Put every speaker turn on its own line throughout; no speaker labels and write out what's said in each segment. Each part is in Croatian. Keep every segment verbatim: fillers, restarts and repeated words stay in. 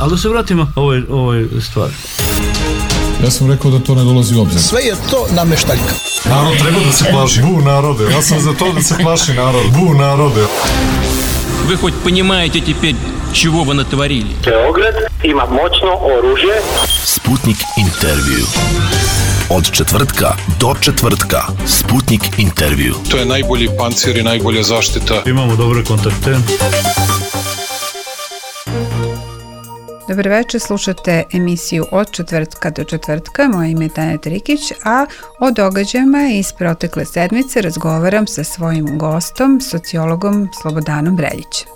Ali da se vratimo ovoj, ovoj stvari.
Ja sam rekao da to ne dolazi u obzir.
Sve je to nameštaljka.
Narod treba da se plaši. Bu narode. Ja sam za to da se plaši narod. Bu narode.
Вы хоть понимаете теперь, чего вы натворили?
Beograd ima moćno oružje.
Sputnik intervju. Od četvrtka do četvrtka. Sputnik intervju.
To je najbolji pancir i najbolja zaštita.
Imamo dobre kontakte.
Dobar večer, slušate emisiju Od četvrtka do četvrtka. Moje ime je Tanja Trikić, a o događajima iz protekle sedmice razgovaram sa svojim gostom, sociologom Slobodanom Reljićem.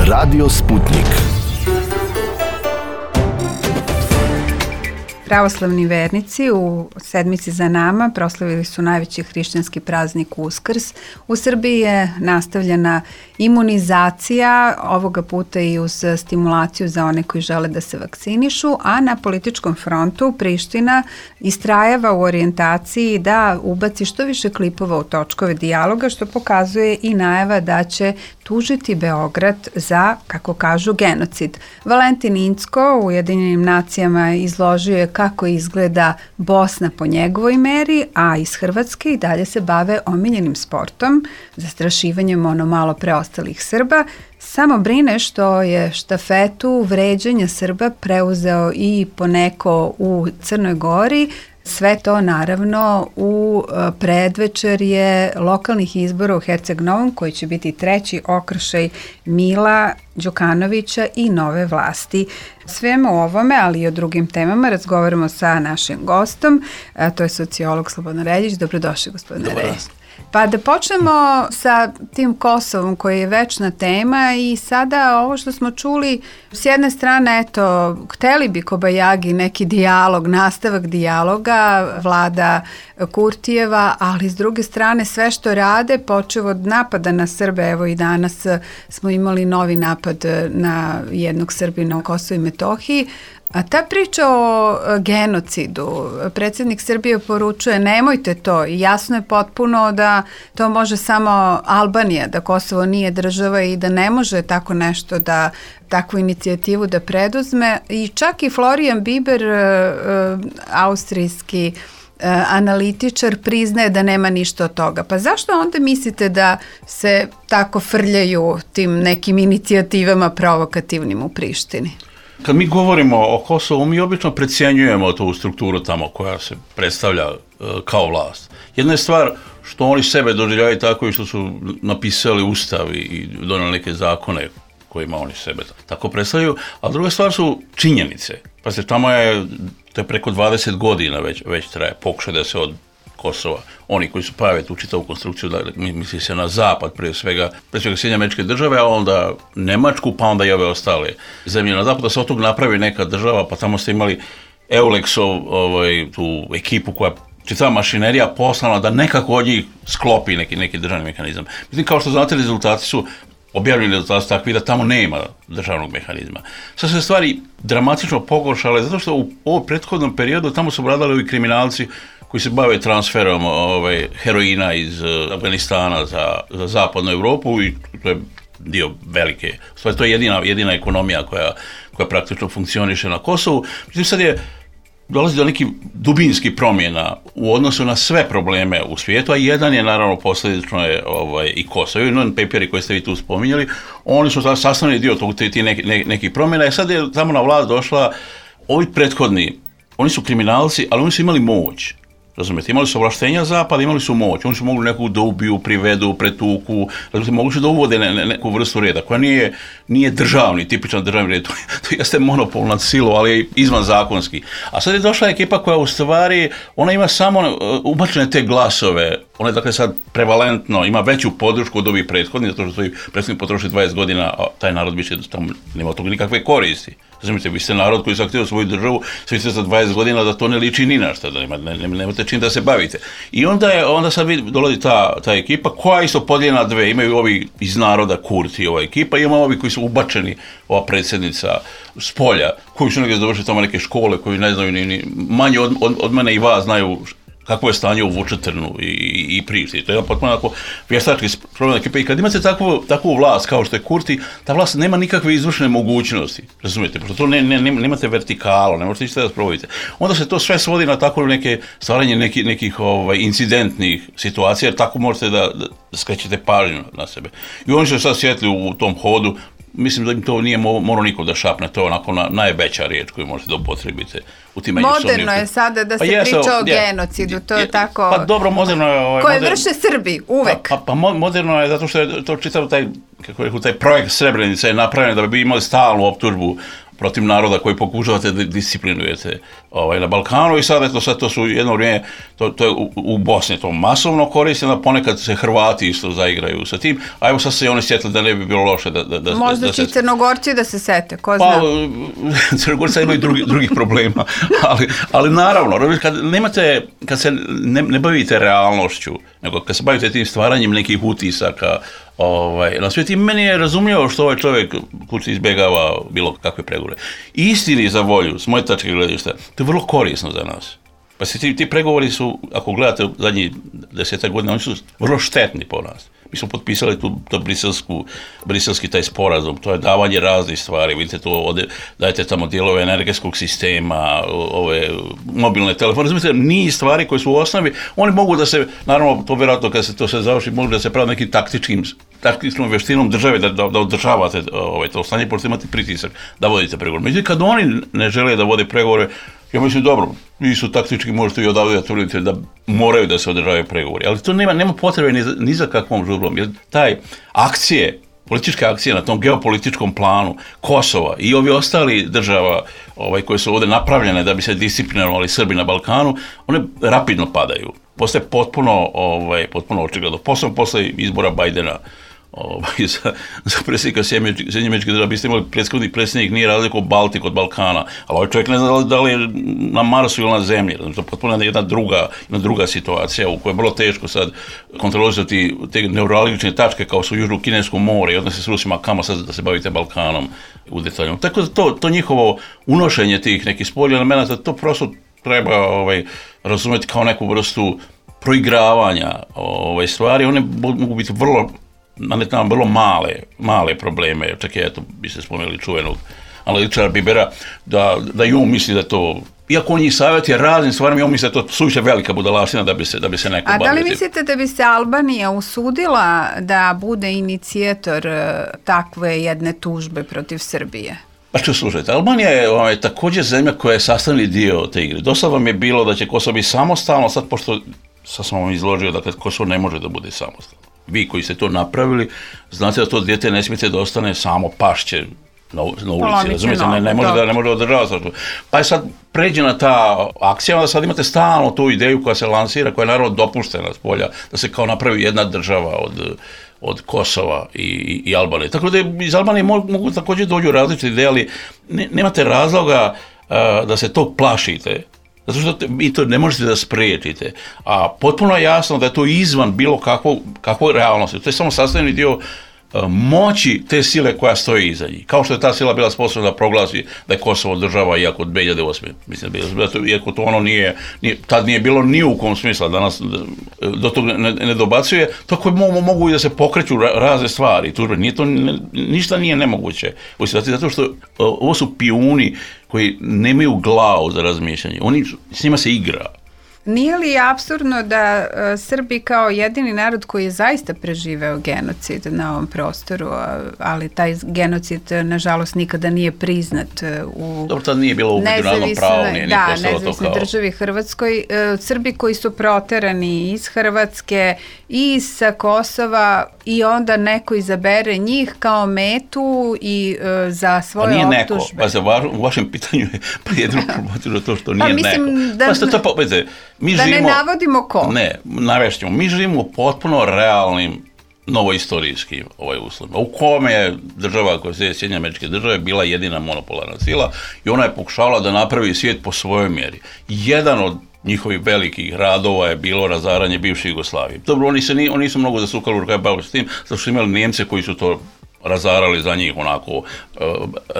Radio Sputnik.
Pravoslavni vernici u sedmici za nama proslavili su najveći hrišćanski praznik Uskrs. U Srbiji je nastavljena imunizacija, ovoga puta i uz stimulaciju za one koji žele da se vakcinišu, a na političkom frontu Priština istrajava u orijentaciji da ubaci što više klipova u točkove dijaloga, što pokazuje i najava da će tužiti Beograd za, kako kažu, genocid. Valentin Incko u Ujedinjenim nacijama izložio je kako izgleda Bosna po njegovoj meri, a iz Hrvatske i dalje se bave omiljenim sportom, zastrašivanjem ono malo preostalih Srba. Samo brine što je štafetu vređanja Srba preuzeo i poneko u Crnoj Gori. Sve to naravno u predvečerje lokalnih izbora u Herceg Novom, koji će biti treći okršaj Mila Đukanovića i nove vlasti. Svemu ovome, ali i o drugim temama razgovaramo sa našim gostom, a to je sociolog Slobodan Reljić. Dobrodošli, gospodine Reljić. Pa da počnemo sa tim Kosovom koji je večna tema i sada ovo što smo čuli, s jedne strane, eto, hteli bi Kobajagi neki dijalog, nastavak dijaloga, vlada Kurtijeva, ali s druge strane sve što rade, počev od napada na Srbe, evo i danas smo imali novi napad na jednog Srbina u Kosovu i Metohiji. A ta priča o genocidu, predsjednik Srbije poručuje nemojte to i jasno je potpuno da to može samo Albanija, da Kosovo nije država i da ne može tako nešto da, takvu inicijativu da preduzme. I čak i Florian Biber, austrijski analitičar, priznaje da nema ništa od toga. Pa zašto onda mislite da se tako frljaju tim nekim inicijativama provokativnim u Prištini?
Kad mi govorimo o Kosovu, mi obično precjenjujemo tu strukturu tamo koja se predstavlja uh, kao vlast. Jedna je stvar što oni sebe doživljaju tako i što su napisali ustav i donijeli neke zakone kojima oni sebe tako predstavljaju, a druga stvar su činjenice. Pa se tamo je, to je preko dvadeset godina već, već traje pokušaj da se od Kosova, oni koji su prave tu čitavu konstrukciju, da misli se na zapad, prije svega, prije svega Sjedinjene Američke Države, a onda Nemačku, pa onda i ove ostale zemlje na zapad, da se od tog napravi neka država, pa tamo ste imali Eulexov, ovaj, tu ekipu koja čitava mašinerija poslana da nekako od njih sklopi neki, neki državni mehanizam. Mislim, kao što znate, rezultati su objavljeni rezultati takvi da tamo nema državnog mehanizma. Sad se stvari dramatično pogoršale, zato što u ovom prethodnom periodu tamo su vladali ovi kriminalci koji se bave transferom ovaj, heroina iz uh, Afganistana za, za zapadnu Europu i to je dio velike, stvari, to je jedina, jedina ekonomija koja, koja praktično funkcioniše na Kosovu. Mislim, sad je dolazi do nekih dubinskih promjena u odnosu na sve probleme u svijetu, a jedan je naravno posljedično je ovaj, i Kosovo. I non-paperi koje ste vi tu spominjali, oni su sastavni dio tog, ti neki, neki, nekih promjena i sad je tamo na vlast došla ovi prethodni, oni su kriminalci, ali oni su imali moć. Razumijete, imali su ovlaštenja zapada, imali su moć, oni su mogli nekog da ubiju, privedu, pretuku, razumijete, mogli su da uvode ne, ne, neku vrstu reda koja nije, nije državni, tipičan državni red, to, to jeste monopol nad silom, ali je izvan zakonski. A sad je došla ekipa koja u stvari, ona ima samo uh, ubačene te glasove, ona je dakle sad prevalentno, ima veću podršku od ovih prethodnih, zato što su i prethodni potrošili dvadeset godina, a taj narod više tamo nema od toga nikakve koristi. Razumijete, vi ste narod koji se aktivira svoju državu, sve ste za dvadeset godina da to ne liči ni na šta, da nema, ne, nemate čim da se bavite. I onda je, onda sad dolazi ta, ta ekipa koja isto podijeljena dve, imaju ovi iz naroda Kurti, ova ekipa, i ima ovi koji su ubačeni, ova predsjednica s polja, koji su negdje završili tamo neke škole, koji ne znaju ni, ni manje od, od, od mene i vas znaju kakvo je stanje u Vučetrnu i, i, i Prištini. To je jedan potpuno onako vještački problem ekipe. I kad imate takvu, takvu vlast kao što je Kurti, ta vlast nema nikakve izvršne mogućnosti, razumijete, pošto to ne, ne, ne, nemate vertikalo, ne možete ništa da sprovodite. Onda se to sve svodi na tako neke stvaranje neki, nekih ovaj, incidentnih situacija, jer tako možete da, da skrećete pažnju na sebe. I oni su sad sjetli u tom hodu. Mislim da im to nije morao niko da šapne, to je onako na, najveća riječ koju možete da upotrebite u tim međusobnim.
Moderno je sada da se
pa
priča
jesu,
o
je,
genocidu, to je,
je
tako...
Pa dobro, moderno je... Ovaj,
koje
moder...
vrše Srbi, uvek.
Pa, pa, pa moderno je zato što je to čitav taj, kako je, taj projekt Srebrenice je napravljen da bi imali stalnu optužbu protiv naroda koji pokušavate da disciplinujete ovaj, na Balkanu i sad, eto, sad to su jedno vrijeme, to, to je u, u Bosni to masovno koristeno, ponekad se Hrvati isto zaigraju sa tim, a evo sad se i oni sjetili da ne bi bilo loše da... da, da
Možda
da
će
se...
Crnogorci da se sete, ko
pa,
zna.
Crnogorci imaju drugi, drugih problema, ali, ali naravno, kad, nemate, kad se ne, ne bavite realnošću, nego kad se bavite tim stvaranjem nekih utisaka, Ovaj, na svijetu, meni je razumljivo što ovaj čovjek kući izbjegava bilo kakve pregovore. Istini za volju, s moje tačke gledišta, to je vrlo korisno za nas. Pa se ti, ti pregovori su, ako gledate zadnjih desetak godina, oni su vrlo štetni po nas. Mi smo potpisali tu, tu briselsku, briselski taj sporazum, to je davanje raznih stvari, vidite to ovdje, dajete tamo dijelove energetskog sistema, ove mobilne telefone, razumite, niz stvari koje su u osnovi, oni mogu da se, naravno, to vjerojatno kad se to se završi, mogu da se pravi nekim taktičkim, taktičnom veštinom države da, da, da održavate ovaj, to stanje, pošto imate pritisak da vodite pregovore. Međutim, kad oni ne žele da vode pregovore, ja mislim, dobro, vi su taktički, možete i odavde da tvrdite da moraju da se održavaju pregovori, ali to nema, nema potrebe ni za, ni za kakvom žurbom, jer taj akcije, političke akcije na tom geopolitičkom planu Kosova i ovi ostali država ovaj, koje su ovdje napravljene da bi se disciplinovali Srbi na Balkanu, one rapidno padaju. Postaje potpuno, ovaj, potpuno očigledno. Posebno posle izbora Bajdena ovaj, za, za predsjednika Sjedinjenih Američkih Država, biste imali prethodni predsjednik, nije razliku Baltik od Balkana, ali ovaj čovjek ne zna da li je na Marsu ili na Zemlji. To je potpuno jedna druga, jedna druga situacija u kojoj je vrlo teško sad kontrolisati te neuralgične tačke kao su Južno Kinesko more i odnose s Rusima, kamo sad da se bavite Balkanom u detaljnom. Tako da to, to njihovo unošenje tih nekih spoljnih elemenata, to prosto treba ovaj, razumjeti kao neku vrstu proigravanja ovaj, stvari. One mogu biti vrlo nametnam vrlo male, male probleme, čak je, eto, bi se spomenuli čuvenog analitičara Bibera, da, da i on misli da to, iako on njih savjetuje raznim stvarima, on misli da to suviše velika budalaština da bi se, da bi se neko bavio.
A da li mislite da bi se Albanija usudila da bude inicijator takve jedne tužbe protiv Srbije?
Pa što slušajte, Albanija je ovaj, također zemlja koja je sastavni dio te igre. Do sad vam je bilo da će Kosovo biti samostalno, sad pošto sad sam vam izložio da dakle, Kosovo ne može da bude samostalno. Vi koji ste to napravili, znate da to dijete ne smijete da ostane samo pašće na, na ulici, razumijete, ne, ne može da ne može održavati. Pa je sad pređena ta akcija, onda sad imate stalno tu ideju koja se lansira, koja je naravno dopuštena s polja, da se kao napravi jedna država od, od Kosova i, i, i Albanije. Tako da iz Albanije mogu, mogu također dođu različite ideje, ali ne, nemate razloga uh, da se to plašite. Zato što vi to ne možete da spriječite. A potpuno je jasno da je to izvan bilo kakvog, kakvog realnosti. To je samo sastavni dio uh, moći te sile koja stoji iza njih. Kao što je ta sila bila sposobna da proglasi da je Kosovo država iako od dvije hiljade osme. Mislim, iako to ono nije, nije, tad nije bilo ni u kom smisla, danas do toga ne, ne dobacuje, tako mogu, mogu i da se pokreću razne stvari. Tužbe. Nije to, ne, ništa nije nemoguće. Zato što uh, ovo su pijuni koji nemaju glavu za razmišljanje. Oni, s njima se igra.
Nije li apsurdno da uh, Srbi kao jedini narod koji je zaista preživeo genocid na ovom prostoru, ali taj genocid nažalost nikada nije priznat u
Dobro, tad nije bilo u međunarodnom pravu, nije,
da,
nije postalo to
nezavisnoj
kao...
državi Hrvatskoj. Uh, Srbi koji su proterani iz Hrvatske i sa Kosova i onda neko izabere njih kao metu i uh, za svoje
pa nije
optužbe.
Neko, pa za va, u vašem pitanju je jedino problematično to što nije
pa, mislim,
neko.
Da,
pa ste to povedete, mi
da
živimo,
ne navodimo ko.
Ne, navešćemo, mi živimo u potpuno realnim novoistorijskim ovaj uslovima, u kome je država koja se Sjedinjene Američke Države bila jedina monopolarna sila i ona je pokušavala da napravi svijet po svojoj mjeri. Jedan od njihovih velikih radova je bilo razaranje bivše Jugoslavije. Dobro, oni, se ni, oni nisu mnogo zasukali u rukav bavili s tim, zato što imali Nijemce koji su to razarali za njih onako uh,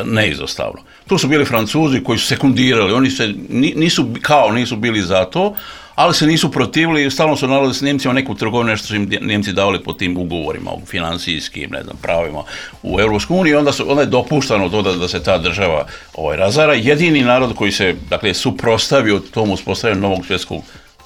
neizostavno. Tu su bili Francuzi koji su sekundirali, oni se nisu, kao nisu bili za to, ali se nisu protivili i stalno su nalazili s Njemcima neku trgovinu, nešto su im Njemci davali po tim ugovorima, u financijskim, ne znam, pravima u Europskoj uniji, onda, su, onda je dopuštano to da, da se ta država ovaj, razara. Jedini narod koji se, dakle, suprotstavio tom uspostavljanju novog svjetskog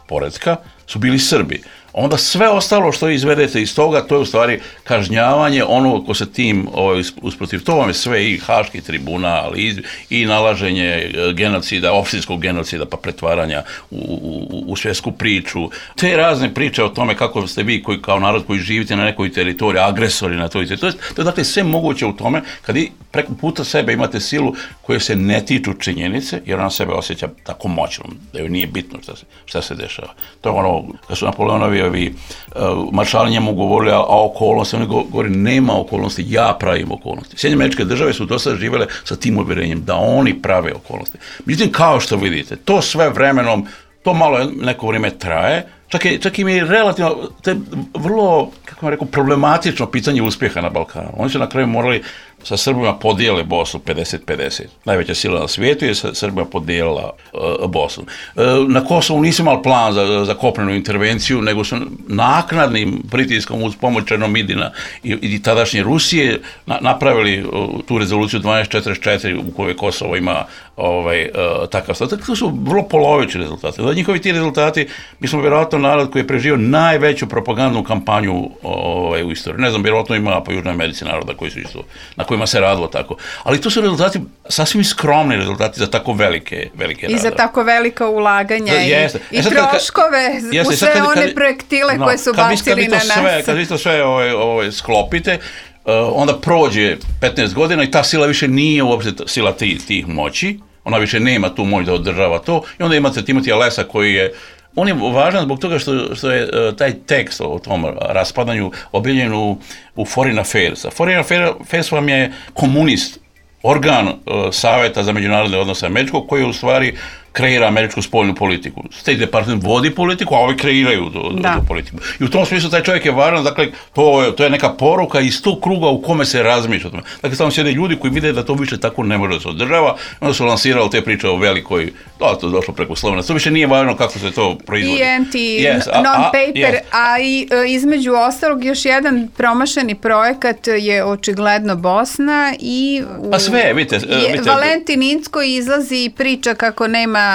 poretka su bili Srbi. Onda sve ostalo što izvedete iz toga, to je u stvari kažnjavanje onog ko se tim ovaj, usprotiv. To vam je sve i Haški tribunal i, i nalaženje genocida, opštinskog genocida pa pretvaranja u, u, u svjetsku priču. Te razne priče o tome kako ste vi koji, kao narod koji živite na nekoj teritoriji, agresori na toj teritoriji. To je, to je dakle sve moguće u tome kad i preko puta sebe imate silu koje se ne tiču činjenice, jer ona sebe osjeća tako moćnom, da joj nije bitno šta se, šta se dešava. To je ono, kad su Napoleonovi ovi uh, maršali njemu govorili, a, a okolnosti, oni govori, nema okolnosti, ja pravim okolnosti. Sjedinjene Američke Države su do sada živjele sa tim uvjerenjem da oni prave okolnosti. Međutim, kao što vidite, to sve vremenom, to malo neko vrijeme traje, čak, je, čak im je relativno, to je vrlo, kako vam rekao, problematično pitanje uspjeha na Balkanu. Oni su na kraju morali sa Srbima podijele Bosnu pedeset pedeset. Najveća sila na svijetu je sa Srbima podijelila uh, Bosnu. Uh, na Kosovu nisu imali plan za, za kopnenu intervenciju, nego su naknadnim pritiskom uz pomoć Černomidina i, i tadašnje Rusije na, napravili uh, tu rezoluciju dvanaest četrdeset četiri u kojoj Kosovo ima ovaj, uh, takav status. To su vrlo polovični rezultati. Da njihovi ti rezultati, mi smo vjerojatno narod koji je preživio najveću propagandnu kampanju ovaj, u istoriji. Ne znam, vjerojatno ima po Južnoj Americi naroda koji su isto, na kojima se radilo tako. Ali to su rezultati, sasvim skromni rezultati za tako velike, velike
I za tako velika ulaganja
da,
i,
jeste.
i
e sad,
troškove
jeste,
u sve
kad,
one
kad,
projektile
no,
koje su
kad
bacili
vi,
na
sve,
nas.
Kad vi to sve ovaj, ovaj, sklopite, uh, onda prođe petnaest godina i ta sila više nije uopšte sila tih, tih moći, ona više nema tu moć da održava to i onda imate Timotija Lesa koji je on je važan zbog toga što, što je uh, taj tekst o tom raspadanju objavljen u, u Foreign Affairs. Foreign Affairs vam je komunist, organ uh, Saveta za međunarodne odnose američkog koji u stvari kreira američku spoljnu politiku. State Department vodi politiku, a ovi kreiraju tu, tu politiku. I u tom smislu taj čovjek je važan, dakle, to je, to je neka poruka iz tog kruga u kome se razmišlja o tome. Dakle, tamo sjede ljudi koji vide da to više tako ne može da se održava, onda su lansirali te priče o velikoj, da, to je došlo preko Slovena, to više nije važno kako se to proizvodi.
I N T,
yes,
non-paper,
yes.
a i između ostalog još jedan promašeni projekat je očigledno Bosna i u,
pa sve, vidite,
je,
vidite.
Valentin Incko izlazi i priča kako nema,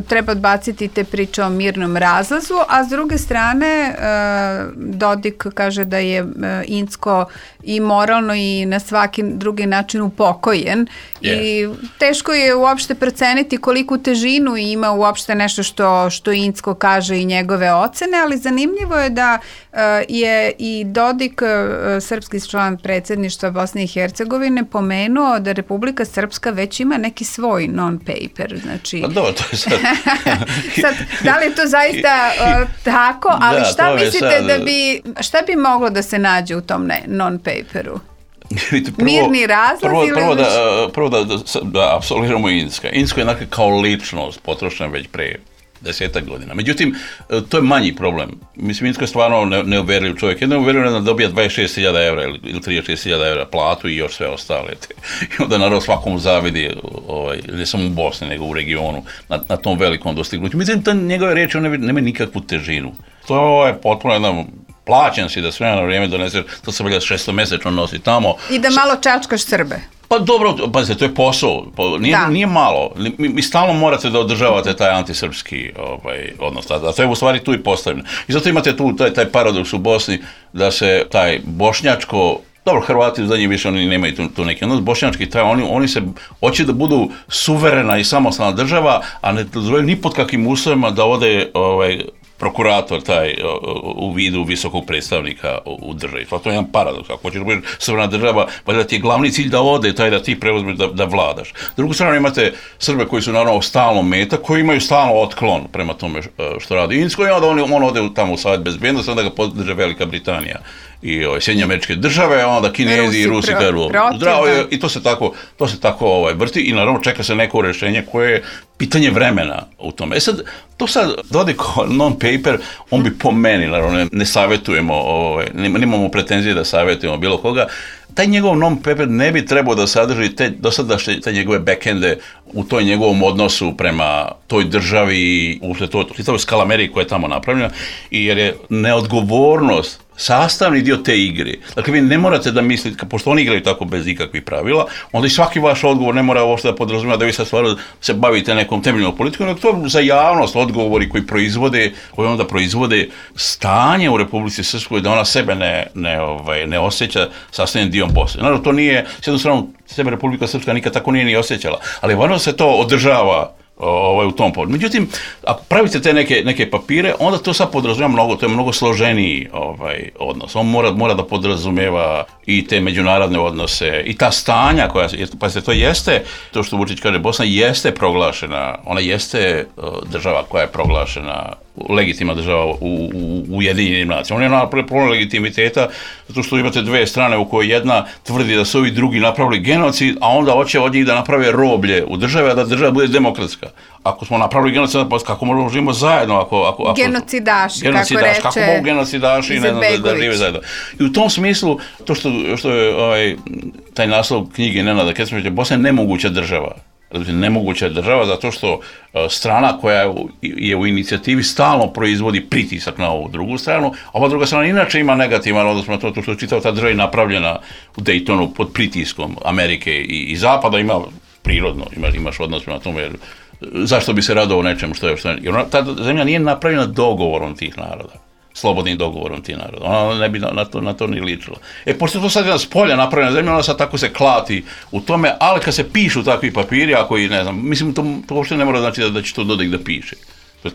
treba odbaciti te priče o mirnom razlazu, a s druge strane Dodik kaže da je Incko i moralno i na svaki drugi način upokojen yes. i teško je uopšte proceniti koliku težinu ima uopšte nešto što, što Incko kaže i njegove ocene, ali zanimljivo je da uh, je i Dodik, uh, srpski član predsjedništva Bosne i Hercegovine, pomenuo da Republika Srpska već ima neki svoj non-paper. Znači,
pa dobro, to je sad...
sad, da li je to zaista uh, tako, ali da, šta mislite sad... da bi, šta bi moglo da se nađe u tom ne, non-paperu?
Prvo,
mirni razlaz
prvo,
ili...
Prvo da, prvo da, da, da apsolviramo Incka. Incko je dakle kao ličnost potrošena već pre desetak godina. Međutim, to je manji problem. Mislim, Incko je stvarno ne, neuvjerljiv čovjek. Jedno je uvjerljiv da dobija dvadeset šest hiljada evra ili, ili trideset šest hiljada evra platu i još sve ostale. I onda naravno svakom zavidi, ovaj, ne samo u Bosni, nego u regionu, na, na tom velikom dostignuću. Mislim, ta njegove riječi, one nema nikakvu težinu. To je potpuno jedan... Plaćen si da sve na vrijeme doneseš, to se velja šestomesečno nosi tamo.
I da malo čačkaš Srbe.
Pa dobro, pazite, to je posao, nije, nije malo. Mi, mi stalno morate da održavate taj antisrpski ovaj, odnos, a to je u stvari tu i postavljeno. I zato imate tu taj, taj paradoks u Bosni da se taj bošnjačko, dobro, Hrvati za njih više oni nemaju tu, tu neki odnos, bošnjački taj, oni, oni se hoće da budu suverena i samostalna država, a ne dozvoljaju ni pod kakvim uslovima da ode ovaj, prokurator taj u vidu visokog predstavnika u državi. To je jedan paradoks. Ako hoćeš da budeš suverena država, pa da ti je glavni cilj da ode, taj da ti preuzmeš da, da vladaš. S drugu stranu imate Srbe koji su naravno stalno meta, koji imaju stalno otklon prema tome što radi Incko i onda on, on ode tamo u Savet bezbednosti, onda ga podrže Velika Britanija i ovaj, Sjedinjene Američke Države, onda Kinezi Rusi, i Rusi kažu zdravo je, i to se tako, to se tako ovaj, vrti i naravno čeka se neko rješenje koje je pitanje vremena u tome. E sad, to sad Dodik non-paper, on bi po meni, naravno ne, ne savjetujemo, ovaj, nemamo pretenzije da savjetujemo bilo koga, taj njegov non-paper ne bi trebao da sadrži te dosadašnje te njegove backende u toj njegovom odnosu prema toj državi, uopšte to, to je skala Amerike koja je tamo napravljena, i jer je neodgovornost sastavni dio te igre. Dakle, vi ne morate da mislite, pošto oni igraju tako bez ikakvih pravila, onda i svaki vaš odgovor ne mora uopšte da podrazumijeva da vi sad stvarno se bavite nekom temeljnom politikom, nego to za javnost, odgovori koji proizvode, koji onda proizvode stanje u Republici Srpskoj, da ona sebe ne, ne, ovaj, ne osjeća sastavljen dio Bosne. Naravno, to nije, s jednom stranom, sebe Republika Srpska nikad tako nije ni osjećala, ali važno se to održava ovaj, u tom povodu. Međutim, ako pravite te neke, neke papire, onda to sad podrazumijeva mnogo, to je mnogo složeniji ovaj, odnos. On mora, mora da podrazumijeva i te međunarodne odnose, i ta stanja koja, pa se to jeste, to što Vučić kaže, Bosna jeste proglašena, ona jeste država koja je proglašena, legitimna država u, u, u Ujedinjenim nacijama. On je na problem legitimiteta, zato što imate dve strane u kojoj jedna tvrdi da su ovi drugi napravili genocid, a onda hoće od njih da naprave roblje u državi, a da država bude demokratska. Ako smo napravili genocid, pa kako možemo živimo zajedno? Ako, ako, ako,
genocidaši,
genocidaši,
kako reče
kako mogu genocidaši ne znam, da, da žive zajedno. I u tom smislu, to što, što je ovaj, taj naslov knjige Nenada Kecmanića, Bosna je nemoguća država. Nemoguća država zato što strana koja je u inicijativi stalno proizvodi pritisak na ovu drugu stranu, a ova druga strana inače ima negativan odnos na to što je čitava ta država je napravljena u Daytonu pod pritiskom Amerike i, i Zapada, ima prirodno, ima, imaš odnos na tome, jer zašto bi se radovao nečemu što je, što je, jer ta zemlja nije napravljena dogovorom tih naroda, slobodnim dogovorom tih naroda. Ona ne bi na, na, to, na to ni ličila. E, pošto je to sad jedna s polja napravljena zemlja, ona sad tako se klati u tome, ali kad se pišu takvi papiri, ako i ne znam, mislim, to, to uopšte ne mora znači da, da će to Dodik da piše.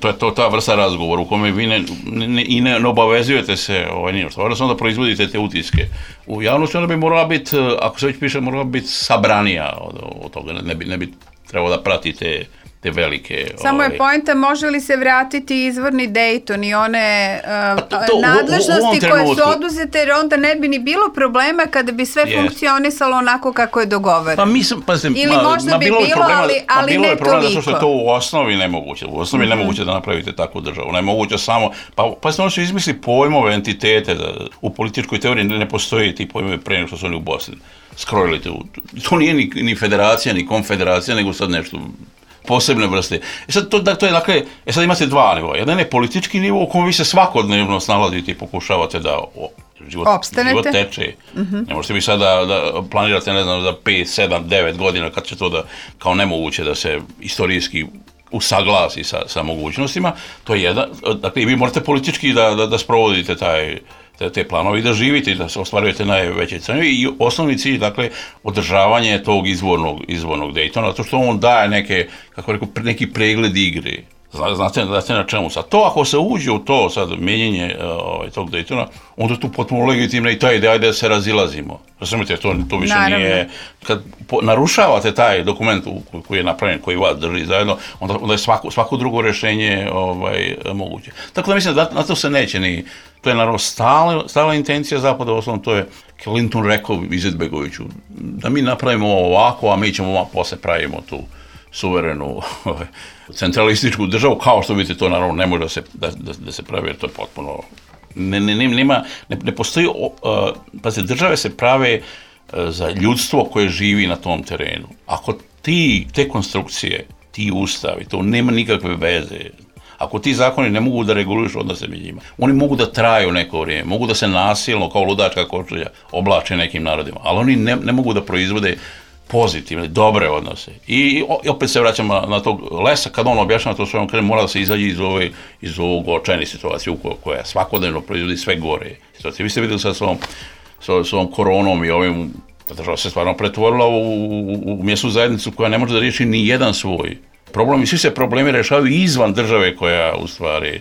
To je to ta vrsta razgovora u kome vi ne, ne, i ne, ne obavezujete se ovaj, nije što. Onda proizvodite te utiske. U javnosti onda bi morala biti, ako se već piše, morala biti sabranija od, od toga. Ne bi, ne bi trebalo da pratite te velike...
Samo
ovaj,
je poenta, može li se vratiti izvorni Dayton i one uh,
to, to,
nadležnosti
u, u
koje su oduzete, jer onda ne bi ni bilo problema kada bi sve
yes.
funkcionisalo onako kako je dogovoreno.
Pa mislim, pa znam,
ili
ma,
možda
ma,
bi
bilo,
bilo,
problema,
ali, ali
bilo
ne
je problema
toliko.
zato što je to u osnovi nemoguće. U osnovi mm-hmm. nemoguće da napravite takvu državu. Nemoguće samo... Pa, pa se ono su izmisli pojmove, entitete. Da, u političkoj teoriji ne postoji ti pojmove pre nego što su oni u Bosni skrojili. To, to nije ni, ni federacija, ni konfederacija, nego sad nešto... posebne vrste. E sad, to, to je, dakle, e sad imate dva nivoa. Jedan je politički nivo u kojem vi se svakodnevno snalazite i pokušavate da o, život, život teče. Mm-hmm. Ne možete vi sad da, da planirate, ne znam, za pet, sedam, devet godina kad će to da, kao nemoguće da se istorijski usaglasi sa, sa mogućnostima. To je jedan, dakle, vi morate politički da, da, da sprovodite taj te, te planovi, da živite i da se ostvarujete najveće cene. I osnovni cilj, dakle, održavanje tog izvornog, izvornog Daytona, zato što on daje neke, kako rekao, neki pregled igre. Znate, znate na čemu sad. To ako se uđe u to sad mijenjenje ovaj, tog Daytona, onda je tu potpuno legitimna i ta ideja da se razilazimo. Razumite, to, to više Naravno. Nije... Kad po, narušavate taj dokument koji je napravljen, koji vas drži zajedno, onda, onda je svako, svako drugo rješenje ovaj, moguće. Tako da mislim da na to se neće ni... To je naravno stala, stala intencija Zapada, osnovno to je Clinton rekao Izetbegoviću, da mi napravimo ovako, a mi ćemo posle pravimo tu suverenu centralističku državu, kao što vidite, to naravno ne može da se, da, da, da se pravi, jer to je potpuno... Ne, ne, ne, nema, ne, ne postoji... Uh, pa se države se prave uh, za ljudstvo koje živi na tom terenu. Ako ti, te konstrukcije, ti ustavi, to nema nikakve veze. Ako ti zakoni ne mogu da regulišu odnose među njima, oni mogu da traju neko vrijeme, mogu da se nasilno, kao ludačka kočulja, oblače nekim narodima, ali oni ne, ne mogu da proizvode pozitivne, dobre odnose. I opet se vraćamo na, na tog Lesa, kad on objašnjava to svojom krenu, mora da se izađe iz, ove, iz ovog očajne situacije koja svakodnevno proizvodi sve gore situacije. Vi ste vidjeli sad s ovom, s ovom koronom i ovim, da država se stvarno pretvorila u, u, u mjesnu zajednicu koja ne može da riješi ni jedan svoj problem. I svi se problemi rešavaju izvan države koja u stvari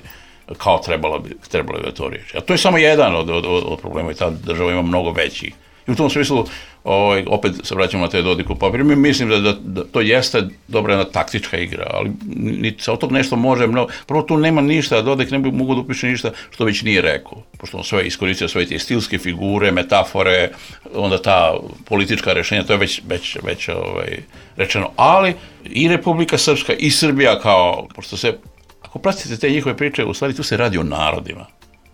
kao trebala bi, trebala bi to riješiti. A to je samo jedan od, od, od problema i ta država ima mnogo većih. I u tom smislu, ovaj, opet se vraćamo na te Dodiku papir, mi mislim da, da, da to jeste dobra jedna taktička igra, ali niti se od tog nešto može mnogo. Prvo tu nema ništa, Dodik ne bi mogu da upiše ništa što već nije rekao, pošto on sve iskoristio svoje te stilske figure, metafore, onda ta politička rješenja, to je već, već, već ovaj, rečeno. Ali i Republika Srpska i Srbija kao, pošto se, ako pratite te njihove priče, u stvari tu se radi o narodima.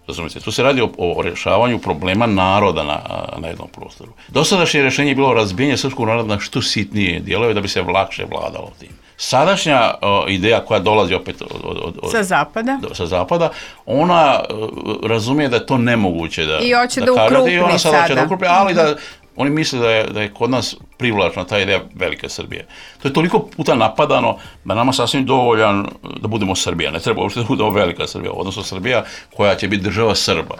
Razumite, tu se radi o, o rješavanju problema naroda na, na jednom prostoru. Dosadašnje rješenje je bilo razbijanje srpskog naroda na što sitnije dijelove da bi se lakše vladalo tim. Sadašnja o, ideja koja dolazi opet od, od, od,
sa zapada,
do, sa zapada, ona o, razumije da je to nemoguće da
i hoće da,
da
ukrupni
i ona sada. Hoće da ukrupni, ali
mm-hmm.
da oni misle da je, da je kod nas privlačna ta ideja velike Srbije. To je toliko puta napadano da nama sasvim dovoljan da budemo Srbija. Ne treba uopšte da budemo velika Srbija, odnosno Srbija koja će biti država Srba,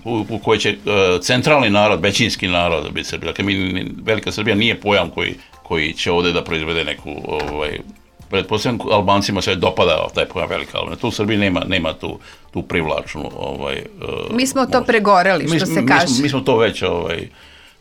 u, u kojoj će uh, centralni narod, većinski narod biti Srbija. Dakle, mi, velika Srbija nije pojam koji, koji će ovdje da proizvede neku... Ovaj, pretpostavljam, Albancima se dopada taj pojam velika, ali tu u Srbiji nema, nema tu, tu privlačnu... Ovaj, uh,
mi smo to pregoreli, što
mi,
se
mi,
kaže.
Mi smo, mi smo to već... Ovaj,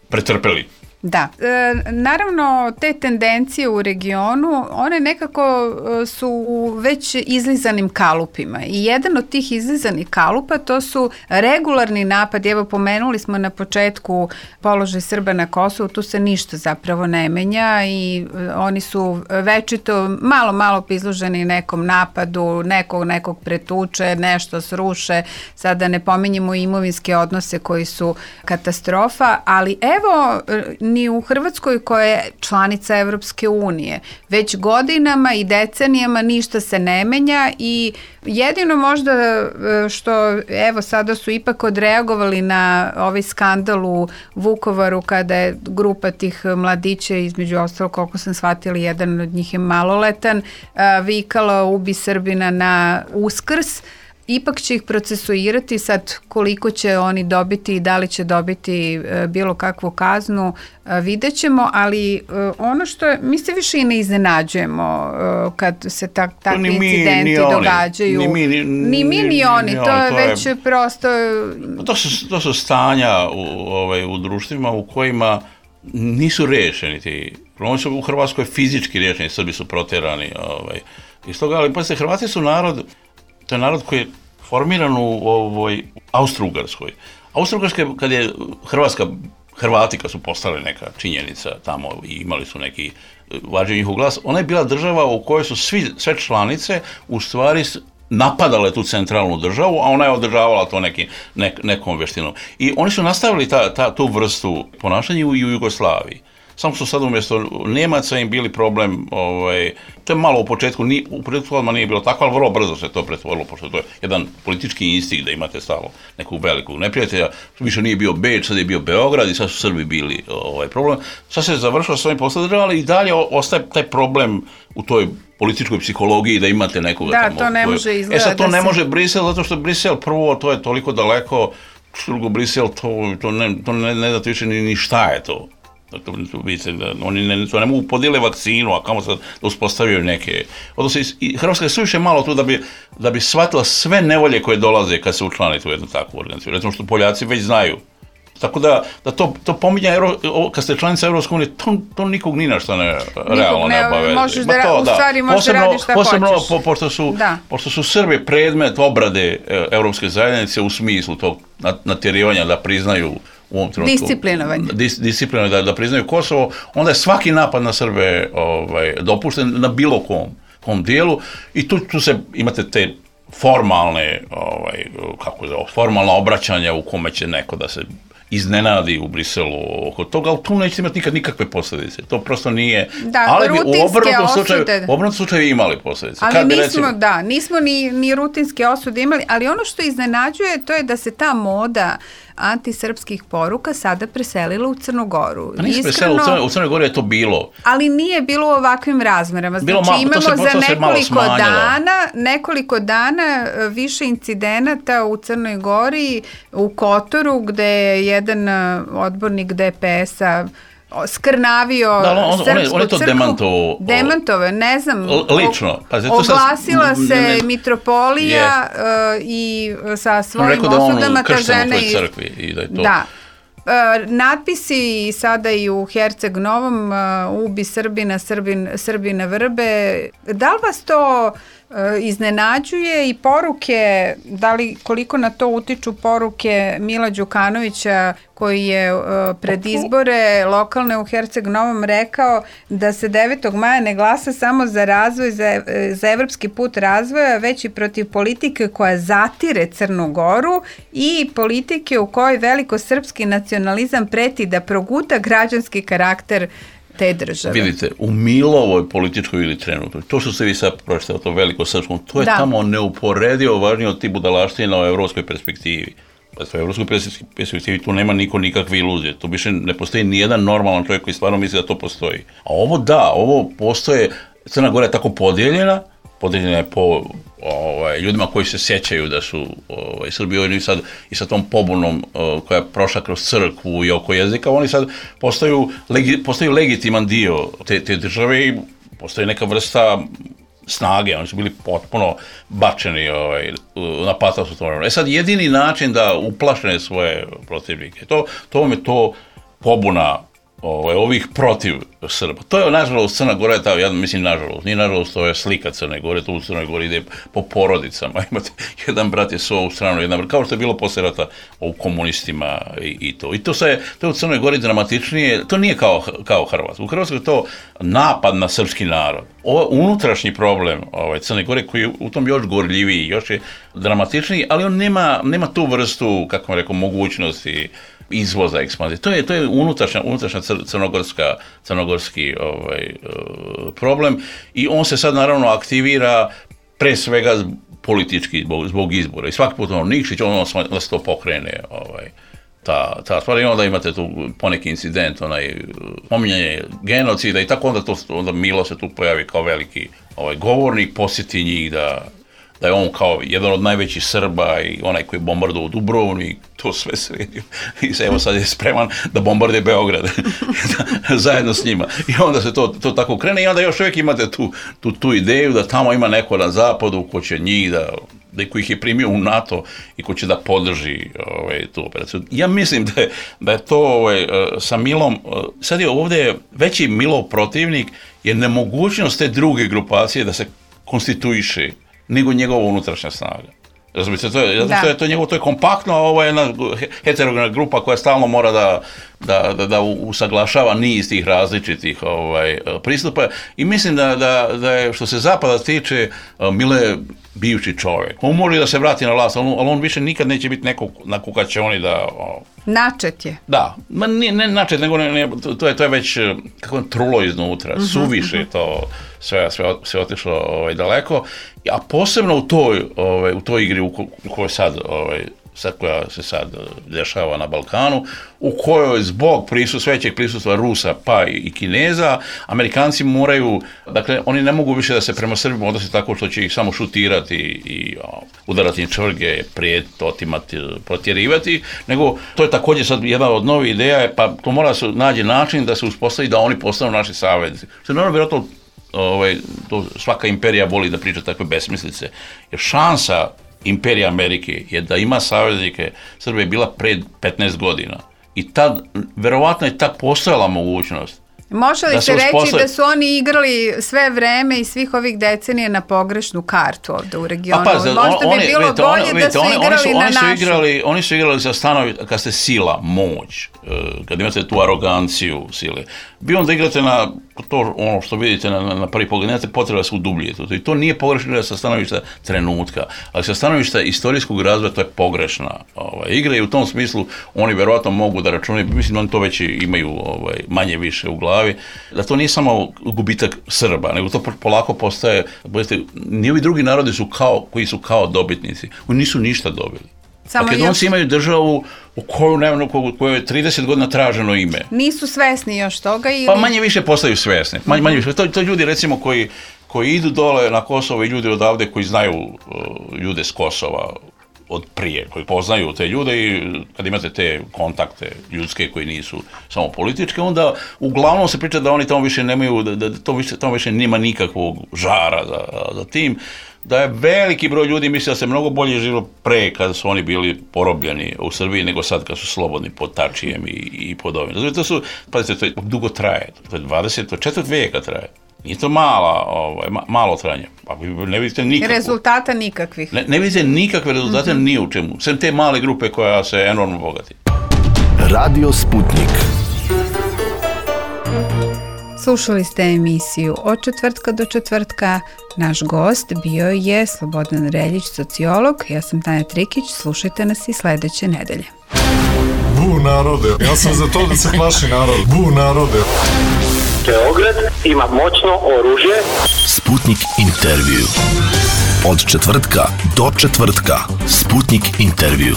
pretrpeli.
Da. E, naravno, te tendencije u regionu, one nekako su u već izlizanim kalupima. I jedan od tih izlizanih kalupa to su regularni napadi. Evo, pomenuli smo na početku položaj Srba na Kosovu, tu se ništa zapravo ne menja i oni su večito malo, malo izloženi nekom napadu, nekog, nekog pretuče, nešto sruše. Sada ne pominjemo imovinske odnose koji su katastrofa, ali evo, ni u Hrvatskoj koja je članica Evropske unije. Već godinama i decenijama ništa se ne menja i jedino možda što, evo, sada su ipak odreagovali na ovaj skandal u Vukovaru kada je grupa tih mladića, između ostalog, koliko sam shvatila, jedan od njih je maloletan, vikala ubi Srbina na Uskrs. Ipak će ih procesuirati, sad koliko će oni dobiti i da li će dobiti e, bilo kakvu kaznu, e, vidjet ćemo, ali e, ono što je, mi se više i ne iznenađujemo e, kad se tak, takvi ni incidenti mi, ni događaju.
Ni mi, ni,
ni, mi, ni, ni oni, ni to je to već je, prosto...
To su, to su stanja u, ovaj, u društvima u kojima nisu rješeni ti. Oni su u Hrvatskoj fizički rješeni, Srbi su protjerani. Ovaj, iz toga, ali pazite, Hrvati su narod... To je narod koji je formiran u ovoj Austro-Ugarskoj. Austro-Ugarska, kad je Hrvatska, Hrvati kad su postali neka činjenica tamo i imali su neki važniji njihov glas, ona je bila država u kojoj su svi, sve članice u stvari napadale tu centralnu državu, a ona je održavala to neki, nek, nekom veštinom. I oni su nastavili ta, ta, tu vrstu ponašanja u, i u Jugoslaviji. Samo su sad umjesto Nemaca im bili problem, ovaj, to je malo u početku, ni, u početku odmah nije bilo tako, ali vrlo brzo se to pretvorilo, pošto to je jedan politički instinkt da imate stalo neku veliku neprijatelja. Više nije bio Beč, sad je bio Beograd i sad su Srbi bili ovaj problem. Sad se završilo s ovim poslom država, ali i dalje ostaje taj problem u toj političkoj psihologiji da imate nekoga
da,
tamo.
Da, to ne može izgledati.
E sad to ne se... može Brisel, zato što Brisel prvo, to je toliko daleko, drugo Brisel, to, to ne, to ne, ne znate više ni, ni šta je to. To, oni ne, to ne mogu podijele vakcinu, a kamo sad da uspostavljaju neke. Odnosno, i Hrvatska je suviše malo tu da bi, da bi shvatila sve nevolje koje dolaze kad se učlanite u jednu takvu organizaciju. Recimo što Poljaci već znaju. Tako da, da to, to pominja, Euro, kad ste članica Evropske unije, to, to nikog ni na što ne, realno ne obaveze.
Možeš da, to, u stvari možeš posebno, da radiš šta
posebno,
hoćeš.
Po, pošto, su, pošto su Srbi predmet obrade Evropske zajednice u smislu tog natjerivanja da priznaju u ovom trenutku,
disciplinovanje.
Dis, disciplinovanje da, da priznaju Kosovo, onda je svaki napad na Srbe ovaj, dopušten na bilo kom, kom dijelu i tu, tu se imate te formalne, ovaj, kako je, formalna obraćanja u kome će neko da se iznenadi u Briselu oko toga, ali tu nećete imati nikad nikakve posljedice. To prosto nije...
Da,
ali bi u obrnutom slučaju,
u
obrnutom slučaju imali posljedice.
Ali
Kad bi,
nismo,
recimo,
da, nismo ni, ni rutinske osude imali, ali ono što iznenađuje to je da se ta moda antisrpskih poruka sada preselila u Crnu Goru.
Pa nije se preselila, u Crnoj, u Crnoj Gori je to bilo.
Ali nije bilo u ovakvim razmerama. Znači
bilo malo,
imamo
se,
za nekoliko
dana,
nekoliko dana više incidenata u Crnoj Gori, u Kotoru, gde je jedan odbornik D P S-a skrnavio
da, on,
srpsku
on je, on je to
crkvu.
Demantovao.
Demantovao, ne znam.
Lično. Pazi,
oglasila
sad,
se
ne,
mitropolija uh, i sa svojim osudama ta žena.
U crkvi i da je to...
Da. Uh, natpisi sada i u Herceg Novom, uh, ubi Srbina, Srbin, Srbina vrbe. Da li vas to uh, iznenađuje i poruke, da li koliko na to utiču poruke Mila Đukanovića koji je uh, pred izbore lokalne u Herceg Novom rekao da se devetog maja ne glasa samo za razvoj, za, za evropski put razvoja, već i protiv politike koja zatire Crnu Goru i politike u kojoj velikosrpski nacionalizam preti da proguta građanski karakter te države.
Vidite, u Milovoj političkoj ili trenutnoj, to što ste vi sad pročitali o tom velikosrpskom, to je da. tamo neuporedivo važnije od ti budalaština o evropskoj perspektivi. U evropskoj perspektivi tu nema niko nikakve iluzije, tu više ne postoji nijedan normalan čovjek koji stvarno misli da to postoji. A ovo da, ovo postoje, Crna Gora je tako podijeljena, podijeljena je po ovaj, ljudima koji se sjećaju da su ovaj, Srbi i sad i sa tom pobunom ovaj, koja je prošla kroz crkvu i oko jezika, oni sad postaju, legi, postaju legitiman dio te, te države i postoji neka vrsta snage, oni su bili potpuno bačeni ovaj, na patac u tom. E sad, jedini način da uplašene svoje protivnike, to, to vam je to pobuna ovaj, ovih protiv Srba. To je, nažalost, Crna Gora je ta, ja mislim, nažalost, nije nažalost, to je slika Crne Gore, to u Crnoj Gori ide po porodicama, imate jedan brat je s ovu stranu, jedan brat, kao što je bilo posle rata u komunistima i, i to. I to, se, to je u Crnoj Gori dramatičnije, to nije kao, kao Hrvatska. U Hrvatskoj je to napad na srpski narod. Ovo unutrašnji problem ovaj, Crne Gore koji je u tom još gorljiviji, još je dramatičniji, ali on nema, nema tu vrstu, kako vam rekao, mogućnosti izvoza, ekspanzije. To je, to je unutrašnja, unutrašnja crnogorska, crnogorski ovaj, problem i on se sad naravno aktivira pre svega politički zbog, zbog izbora. I svaki put ono Nikšić, ono da se to pokrene ovaj, ta, ta stvar. I onda imate tu poneki incident, onaj pominjanje genocida i tako onda, to, onda Milo se tu pojavi kao veliki ovaj, govornik, posjeti njih da da je on kao jedan od najvećih Srba i onaj koji je bombardovao Dubrovnik, to sve sredio. I evo sad je spreman da bombarduje Beograd zajedno s njima. I onda se to, to tako krene i onda još uvijek imate tu, tu, tu ideju da tamo ima neko na zapadu ko će njih da, da ko ih je primio u NATO i ko će da podrži ovaj, tu operaciju. Ja mislim da je, da je to ovaj, sa Milom, sad je ovdje veći Milov protivnik je nemogućnost te druge grupacije da se konstituiše nego njegova unutrašnja snaga. Razumite, to je, to je, to je, njegovo, to je kompaktno, a ovo je jedna heterogena grupa koja stalno mora da, da, da, da usaglašava niz tih različitih ovaj, pristupa i mislim da, da, da je, što se zapada tiče, Mile bivši čovjek. On može da se vrati na vlast, ali on više nikad neće biti neko na kukačoni da... O,
načet je.
Da, ma ne, ne načet, nego ne, ne, to, je, to je već kako je trulo iznutra, uh-huh, suviše uh-huh. to sve, sve, sve otišlo ovaj, daleko, a posebno u toj, ovaj, u toj igri u, ko, u kojoj sad, ovaj, sad koja se sad dešava na Balkanu, u kojoj zbog prisus, većeg prisustva Rusa pa i Kineza, Amerikanci moraju, dakle, oni ne mogu više da se prema Srbima odnosi tako što će ih samo šutirati i o, udarati im čvrge, prijetiti, otimati, protjerivati, nego to je također sad jedna od novih ideja, pa to mora se nađe način da se uspostavi da oni postanu naši saveznici. Što je naravno vjerojatno ovaj, to svaka imperija voli da priča takve besmislice, jer šansa imperija Amerike je da ima saveznike, Srbija je bila pred petnaest godina i tad, verovatno je tad postojala mogućnost.
Može li se reći usposle... da su oni igrali sve vreme i svih ovih decenija na pogrešnu kartu ovdje u regionu?
Pa, pa,
možda on, bi bilo vidite, bolje on, vidite, da su oni, igrali oni su, na
oni su
našu.
Igrali, oni su igrali za stanovi, kad ste sila, moć, kad imate tu aroganciju sile. Bi onda igrate na to ono što vidite na, na prvi pogled, nemate potreba da se udubljete. I to nije pogrešno sa stanovišta trenutka, ali sa stanovišta istorijskog razvoja to je pogrešna ovaj, igra i u tom smislu oni verovatno mogu da računaju, mislim da oni to već imaju ovaj, manje više u glavi, da to nije samo gubitak Srba, nego to polako postaje, budete, ni ovi drugi narodi su kao, koji su kao dobitnici, oni nisu ništa dobili. Samo Makedonci još... imaju državu u koju, ne, u kojoj je trideset godina traženo ime.
Nisu svesni još toga ili...
Pa manje više postaju svesni. Manje, manje više. To, to ljudi recimo koji, koji idu dole na Kosovo i ljudi odavde koji znaju uh, ljude s Kosova od prije, koji poznaju te ljude i kad imate te kontakte ljudske koji nisu samo političke, onda uglavnom se priča da oni tamo više nemaju, da, da to više, tamo više nema nikakvog žara za, za tim, da je veliki broj ljudi misli da se mnogo bolje živilo pre kada su oni bili porobljeni u Srbiji nego sad kad su slobodni pod Tačijem i, i pod ovim. Znači, to su, pazite, to dugo traje, to je dvadeset četiri vijeka traje. Nije to mala, ovaj, ma, malo trajanje. Pa ne vidite nikakvu.
Rezultata nikakvih.
Ne, ne vidite nikakve rezultate mm-hmm. ni u čemu. Sem te male grupe koja se enormno bogati.
Radio Sputnik.
Slušali ste emisiju Od četvrtka do četvrtka. Naš gost bio je Slobodan Reljić, sociolog. Ja sam Tanja Trikić. Slušajte nas i sledeće nedelje.
Bu narode, ja sam za to da se plaši narod. Bu narode.
Beograd ima moćno oružje.
Sputnik intervju. Od četvrtka do četvrtka. Sputnik intervju.